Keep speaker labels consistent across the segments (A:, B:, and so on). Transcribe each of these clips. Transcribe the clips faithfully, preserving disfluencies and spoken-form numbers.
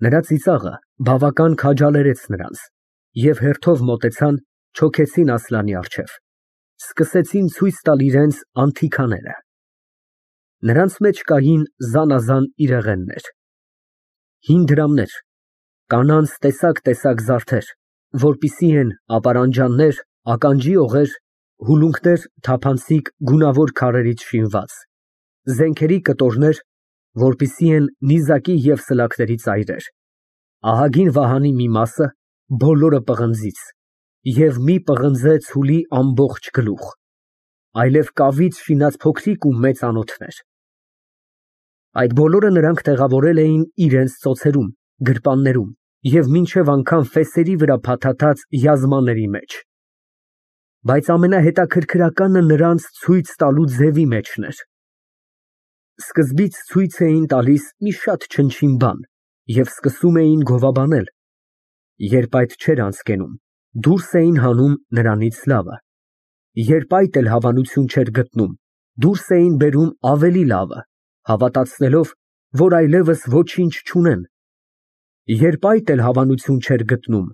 A: Նրա ծիծաղը բավական քաջալերեց նրանց, և հերթով մոտեցան, չոքեցին Ասլանի առջև, սկսեցին ցույց տալ իրենց անթիքաները։ Նրանց մեջ կային զանազան իրեղեններ, հին դրամներ, կանանց տեսակ֊տեսակ զարդեր, որպիսի են ապարանջաններ, ականջի օղեր, հուլունքներ թափանցիկ գունավոր քարերից շինված, զենքերի կտորներ, որպիսի են նիզակի և սլաքների ծայրեր, ահագին վահանի մի մասը, բոլորը պղնձից, և մի պղնձե ցուլի ամբողջ գլուխ, այլև կավից շինած փոքրիկ ու մեծ անոթներ։ Այդ բոլորը նրանք տեղավորել էին իրենց ծոցերում, գրպաններում և մինչև անգամ ֆեսերի վրա փաթաթած յազմանների մեջ։ Բայց ամենահետաքրքրականը նրանց ցույց տալու ձևի մեջն էր։ Սկզբից ցույց էին տալիս մի շատ չնչին բան և սկսում էին գովաբանել, երբ այդ չէր անցկենում, դուրս էին հանում նրանից լավը, երբ այդ էլ հավանություն չէր գտնում, դուրս էին բերում ավելի լավը, հավատացնելով, որ այլևս ոչինչ չունեն, երբ այդ էլ հավանություն չէր գտնում,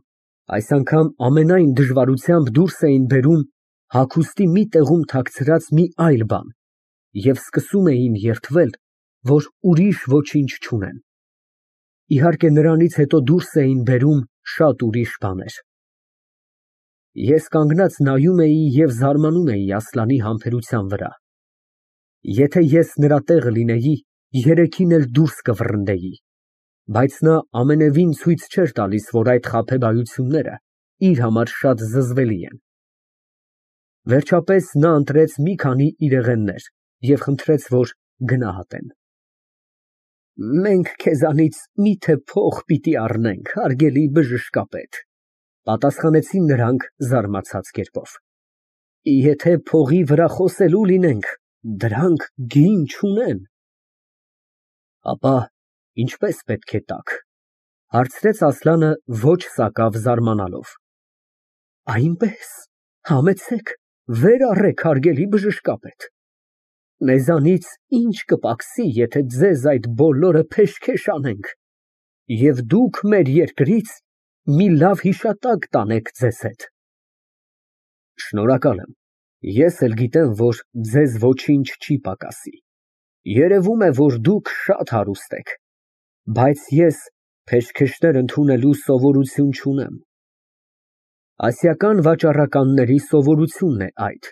A: այս անգամ ամենայն դժվարությամբ դուրս էին բերում հագուստի մի տեղում թաքցրած մի այլ բան և սկսում էին երդվել, որ ուրիշ ոչինչ չունեն։ Իհարկե, նրանից հետո դուրս էին բերում շատ ուրիշ բաներ։ Ես կանգնած նայում էի և զարմանում էի Ասլանի համբերության վրա։ Եթե ես նրա տեղը լինեի, երեքին էլ դուրս կվռնդեի, բայց նա ամենևին ցույց չէր տալիս, որ այդ խաբեբայությունները իր համար շատ զզվելի են։ Վերջապես նա ընտրեց մի քանի իրեղեններ և խնդրեց, որ գնահատեն։ «Մենք քեզանից մի՞թե փող պիտի առնենք, հարգելի բժշկապետ», ֊ պատասխանեցին նրանք զարմացած կերպով։ «Եթե փողի վրա խոսելու լինենք, դրանք գին չունեն»։ «Ապա ինչպե՞ս պետք է տաք», ֊ հարցրեց Ասլանը ոչ սակավ զարմանալով։ «Այնպես, համեցեք, վեր առեք, հարգելի բժշկապետ։ Մեզանից ի՞նչ կպակսի, եթե ձեզ այդ բոլորը փեշքեշ անենք, և դուք մեր երկրից մի լավ հիշատակ տանեք ձեզ հետ»։ «Շնորհակալ եմ, ես էլ գիտեմ, որ ձեզ ոչինչ չի պակասի, երևում է, որ դուք շատ հարուստ եք, բայց ես փեշքեշներ ընդունելու սովորություն չունեմ։ Ասիական վաճառականների սովորությունն է այդ,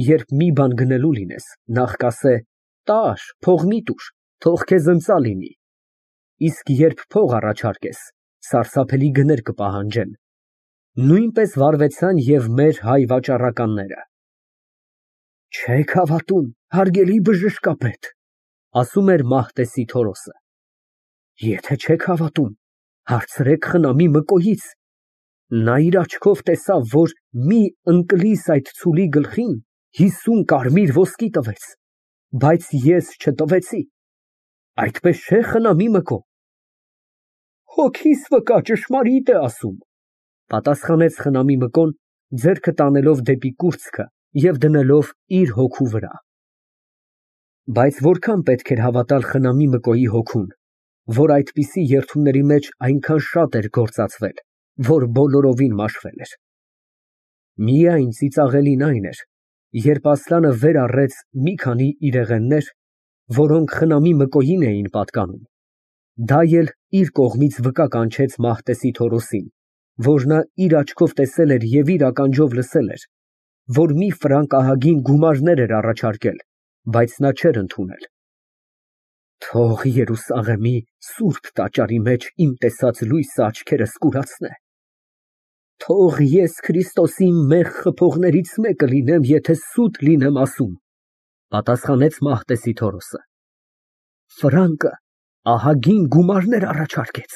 A: երբ մի բան գնելու լինես, նախ կասե. տար, փող մի տուր, թող քեզ ընծա լինի, իսկ երբ փող առաջարկես, սարսափելի գներ կպահանջեն։ Նույնպես վարվեցան և մեր հայ վաճառականները»։ «Չեք հավատում, հարգելի բժշկապետ», ֊ ասում էր Մահտեսի Թորոսը։ «Եթե չեք հավատում, հարցրեք խնամի Մկոյից. նա իր աչքով տեսավ, որ մի ընկլիս այդ ցուլի գլխին հիսուն կարմիր ոսկի տվեց, բայց ես չտվեցի։ Այդպես չէ՞, խնամի Մկո»։ «Հոգիս վկա, ճշմարիտ է ասում», ֊ պատասխանեց խնամի Մկոն, ձեռքը տանելով դեպի կուրծքը և դնելով իր հոգու վրա։ Բայց որքան պետք էր հավատալ խնամի Մկոյի հոգուն, որ այդպիսի երդումների մեջ այնքան շատ էր գործածվել, որ բոլորովին մաշվել էր։ Միայն ծիծաղելին այն էր, երբ Ասլանը վեր առեց մի քանի իրեղեններ, որոնք խնամի Մկոյին էին պատկանում, դա էլ իր կողմից վկա կանչեց Մահտեսի Թորոսին, որ նա իր աչքով տեսել էր և իր ականջով լսել էր, որ մի ֆրանկ ահագին գումարներ էր առաջարկել, բայց նա չէր ընդունել։ «Թող Երուսաղեմի սուրբ տաճարի մեջ իմ տեսած լույսը աչքերս կուրացնե։ Թող ես Քրիստոսի մեղ խփողներից մեկը լինեմ, եթե սուտ լինեմ ասում», ֊ պատասխանեց Մահտեսի Թորոսը։ «Ֆրանկը ահագին գումարներ առաջարկեց,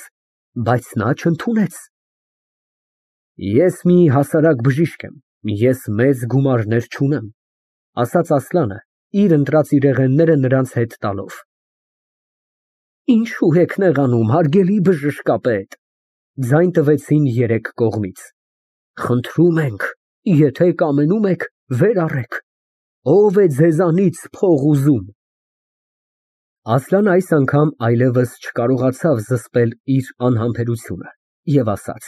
A: բայց նա չընդունեց»։ «Ես մի հասարակ բժիշկ եմ, ես մեծ գումարներ չունեմ», ֊ ասաց Ասլանը, իր ընտրած իրեղենները նրանց հետ տալով։ «Ինչո՞ւ եք նեղանում, հարգելի բժշկապետ», ֊ ձայն տվեցին երեք կողմից։ «Խնդրում ենք, եթե կամենում եք, վեր առեք, ո՞վ է ձեզանից փող ուզում»։ Ասլանը այս անգամ այլևս չկարողացավ զսպել իր անհամբերությունը և ասաց.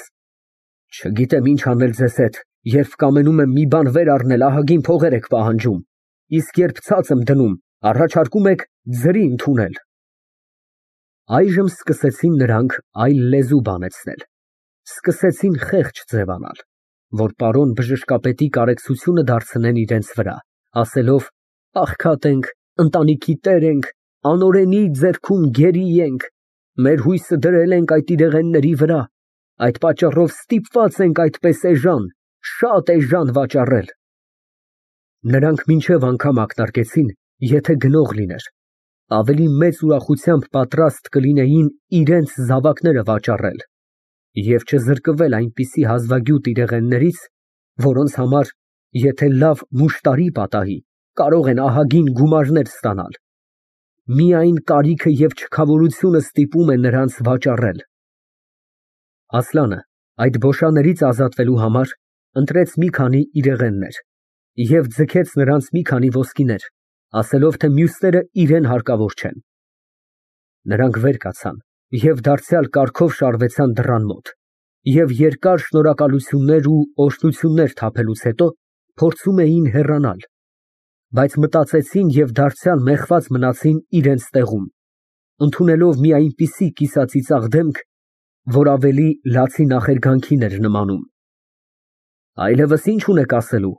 A: Չգիտեմ ինչ անել ձեզ հետ, երբ կամենում եմ մի բան վեր առնել, ահագին փողեր եք պահանջում, իսկ երբ ցած եմ դնում, առաջարկում եք ձրի ընդունել։ Այժմ սկսեցին նրանք այլ լեզու բանեցնել, սկսեցին խեղճ ձևանալ, որ պարոն բժշկապետի կարեկցությունը դարձնեն իրենց վրա, ասելով. Աղքատ ենք, ընտանիքի տեր ենք, անօրենի ձեռքում գերի ենք, մեր հույսը դրել ենք այդ իրեղենների վրա, այդ պատճառով ստիպված ենք այդպես էժան, շատ էժան վաճառել։ Նրանք մինչև անգամ ակնարկեցին, եթե գնող լիներ, ավելի մեծ ուրախությամբ պատրաստ կլինեին իրենց զավակները վաճառել և չզրկվել այնպիսի հազվագյուտ իրեղեններից, որոնց համար, եթե լավ մուշտարի պատահի, կարող են ահագին գումարներ ստանալ։ Միայն կարիքը և չքավորությունը ստիպում է նրանց վաճառել։ Ասլանը այդ բոշաներից ազատվելու համար ընտրեց մի քանի իրեղեններ և ձգեց նրանց մի քանի ոսկիներ, ասելով, թե մյուսները իրան հարկավոր չեն։ Նրանք վեր կացան և դարձյալ կարգով շարվեցան դռան մոտ և երկար շնորհակալություններ ու օրհնություններ թափելուց հետո փորձում էին հեռանալ, բայց մտածեցին և դարձյալ մեղված մնացին իրենց տեղում, ընդունելով մի այնպիսի կիսածիծաղ դեմք, որ ավելի լացի նախերգանքին էր նմանում։ Այլևս ի՞նչ ունեք ասելու,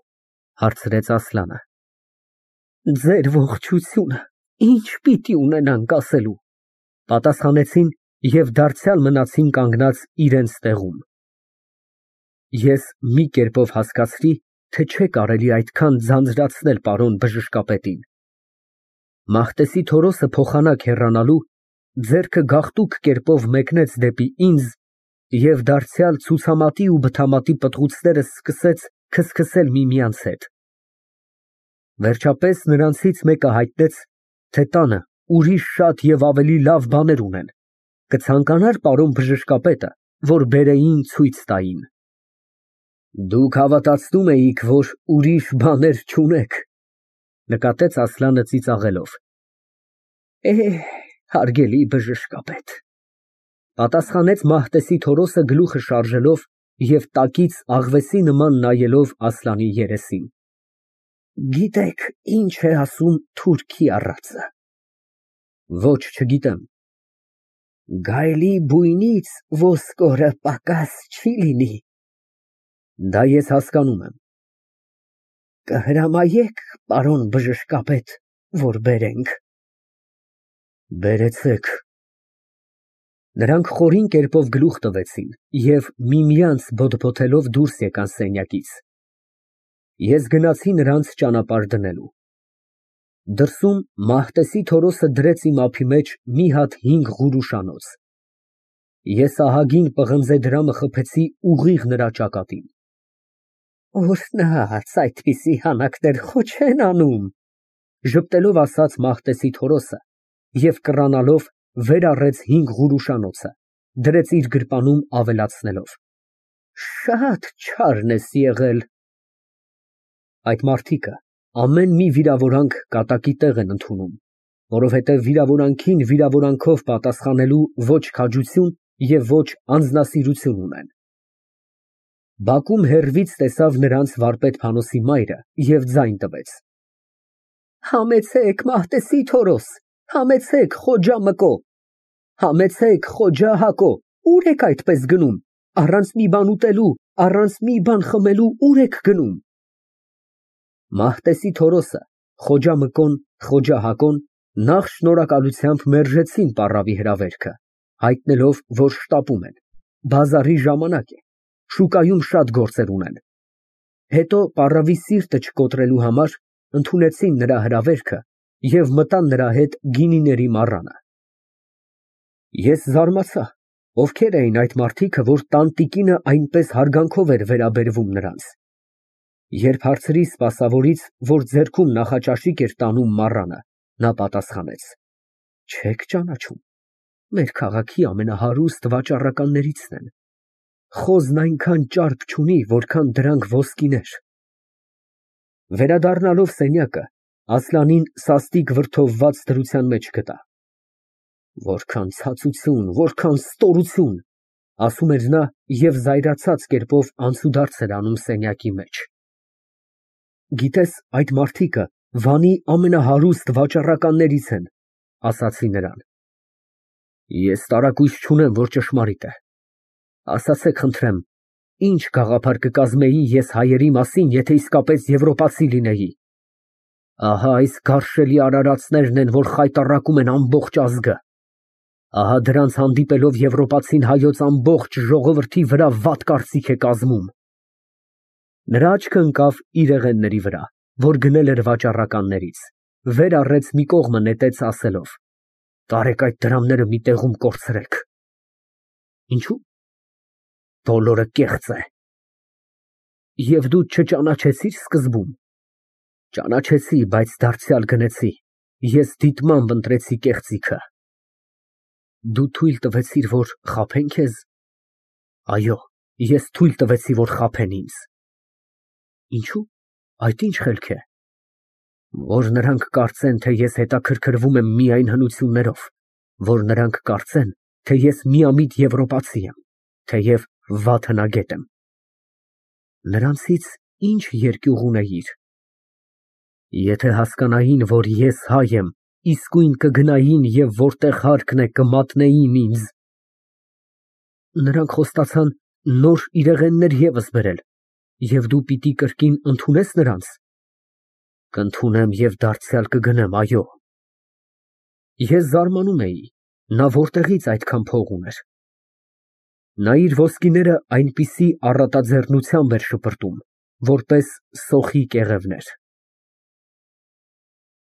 A: հարցրեց Ասլանը։ Ձեր ողջությունը ի՞նչ պիտի ունենանք ասելու, պատասխանեցին և դարձյալ մնացին կանգնած իրենց տեղում։ Ես մի կերպով հասկացրի, թե չէ կարելի այդքան ձանձրացնել պարոն բժշկապետին։ Մահտեսի Թորոսը փոխանակ հեռանալու, ձեռքը գաղտուկ կերպով մեկնեց դեպի ինձ և դարձյալ ցուցամատի ու բթամատի պտղուցները սկսեց քսքսել միմյանց հետ։ Վերջապես նրանցից մեկը հայտնեց, թե տանը ուրիշ շատ և ավելի լավ բաներ ունեն, կցանկանա՞ր պարոն բժշկապետը, որ բերեին ցույց տային։ Դուք հավատացնում էիք, որ ուրիշ բաներ չունեք, նկատեց Ասլանը ծիծաղելով։ Էհ, հարգելի բժշկապետ, պատասխանեց Մահտեսի Թորոսը գլուխը շարժելով և տակից աղվեսի նման նայելով Ասլանի երեսին։ Գիտեք, ինչ է ասում թուրքի առածը։ Ոչ, չգիտեմ։ Գայլի բույնից ոսկորը պակաս չի լինի։ Դա ես հասկանում եմ։ Կհրամայեք, պարոն բժշկապետ, որ բերենք։ Բերեցեք։ Նրանք խորին կերպով գլուխ տվեցին և միմյանց բոթբոթելով դուրս եկան սենյակից։ Ես գնացի նրանց ճանապարհ դնելու։ Դրսում Մահտեսի Թորոսը դրեց իմ ափի մեջ մի հատ հինգ ղուրուշանոց։ Ես ահագին պղնձե դրամը խփեցի ուղիղ նրա ճակատին։ Օրհնած, այդպիսի հանակներ խո չեն անում, ժպտելով ասաց Մահտեսի Թորոսը և կռանալով վեր առեց հինգ ղուրուշանոցը, դրեց իր գրպանում ավելացնելով. Շատ չարն ես եղել։ Այդ մարդիկը ամեն մի վիրավորանք կատակի տեղ են ընդունում, որովհետև վիրավորանքին վիրավորանքով պատասխանելու ոչ քաջություն և ոչ անձնասիրություն ունեն։ Բակում հեռվից տեսավ նրանց վարպետ Փանոսի մայրը և ձայն տվեց. Համեցեք, Մահտեսի Թորոս, համեցեք, Խոջա Մկո, համեցեք, Խոջա Հակո, ուր եք այդպես գնում, առանց մի բան ուտելու, առանց մի բան խմելու ուր եք գնում։ Մահտեսի Թորոսը, Խոջա Մկոն, Խոջա Հակոն նախ շնորհակալությամբ մերժեցին պառավի հրավերքը, հայտնելով, որ շտապում են, բազարի ժամանակ է, շուկայում շատ գործեր ունեն։ Հետո պառավի սիրտը չկոտրելու համար ընդունեցին նրա հրավերքը և մտան նրա հետ գինիների մառանը։ Ես զարմացա, ովքեր էին այդ մարդիկը, որ տանտիկինը այնպես հարգանքով էր վերաբերվում նրանց։ Երբ հարցրի սպասավորից, որ ձեռքում նախաճաշիկ էր տանում մառանը, նա պատասխանեց. Չեք ճանաչում, մեր քաղաքի ամենահարուստ վաճառականներիցն են։ Խոզն այնքան ճարպ չունի, որքան դրանք ոսկիներ։ Վերադառնալով սենյակը, Ասլանին սաստիկ վրդովված դրության մեջ գտա։ Որքան ցածություն, որքան ստորություն, ասում էր նա և զայրացած կերպով անցուդարձ էր անում սենյակի մեջ։ Գիտես, այդ մարդիկը Վանի ամենահարուստ վաճառականներից են, ասացի նրան։ Ես տարակույս չունեմ, որ ճշմարիտ է։ Ասացեք, խնդրեմ, ինչ գաղափար կկազմեի ես հայերի մասին, եթե իսկապես եվրոպացի լինեի։ Ահա այս գարշելի արարածներն են, որ խայտառակում են ամբողջ ազգը։ Ահա դրանց հանդիպելով եվրոպացին հայոց ամբողջ ժողովրդի վրա վատ կարծիք է կազմում։ Նրա աչքը ընկավ իրեղենների վրա, որ գնել էր վաճառականներից, վեր առեց մի կողմը նետեց ասելով. Տարեք այդ դրամները մի տեղում կորցրեք։ Ինչու՞։ Բոլորը կեղծ է։ Եվ դու չճանաչեցի՞ր սկզբում։ Ճանաչեցի, բայց դարձյալ գնեցի, ես դիտմամբ ընտրեցի կեղծիքը։ Դու թույլ տվեցիր, որ խաբեն քեզ։ Այո, ես թույլ տվեցի, որ խաբեն ինձ։ Ինչու՞։ Այդ ինչ խելք է։ Որ նրանք կարծեն, թե ես հետաքրքրվում եմ միայն հնություններով, որ նրանք կարծեն, թե ես միամիտ եվրոպացի եմ, թեև վատ հնագետ եմ։ Նրանցից ինչ երկյուղ ունեիր։ Եթե հասկանային, որ ես հայ եմ, իսկույն կգնային և որտեղ հարկն է կմատնեին ինձ։ Նրանք խոստացան նոր իրեղեններ ևս բերել, և դու պիտի կրկին ընդունե՞ս նրանց։ Կընդունեմ և դարձյալ կգնեմ, այո։ Ես զարմանում էի, նա որտեղից այդքան փող ուներ։ Նա իր ոսկիները այնպիսի առատաձեռնությամբ էր շպրտում, որպես սոխի կեղևներ։